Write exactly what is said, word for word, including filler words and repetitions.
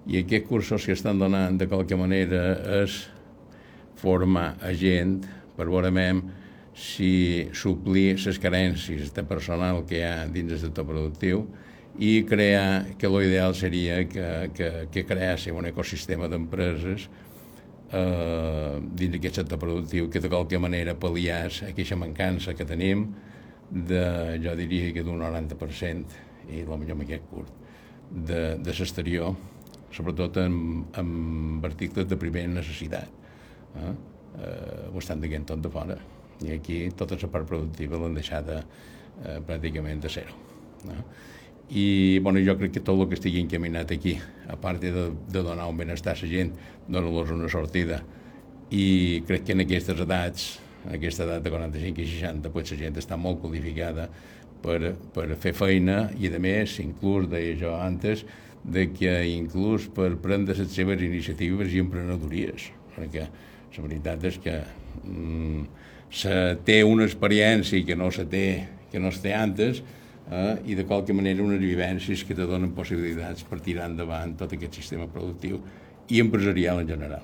I aquests cursos que estan donant de qualque manera és formar a gent per veure si suplir les carències de personal que hi ha dins del sector productiu i crear, que l'ideal seria que, que, que creéssim un ecosistema d'empreses eh, dins d'aquest sector productiu que de qualque manera pal·liés aquesta mancança que tenim de, jo diria que d'un noranta per cent, i potser amb aquest curt, de, de l'exterior, sobretot amb, amb articles de primera necessitat. Eh? Eh, ho estan dient tot de fora. I aquí tota la part productiva l'han deixada eh, pràcticament de zero. No? I bueno, jo crec que tot el que estigui encaminat aquí, a part de, de donar un benestar a la gent, donar-los una sortida. I crec que en aquestes edats, en aquesta edat de quaranta-cinc i seixanta, pues, la gent està molt qualificada per, per fer feina i, a més, inclús, deia jo antes, de que inclús per prendre les seves iniciatives i emprenedories, perquè la veritat és que mm, se té una experiència que no se té, que no es té antes, eh, i de qualque manera unes vivències que te donen possibilitats per tirar endavant tot aquest sistema productiu i empresarial en general.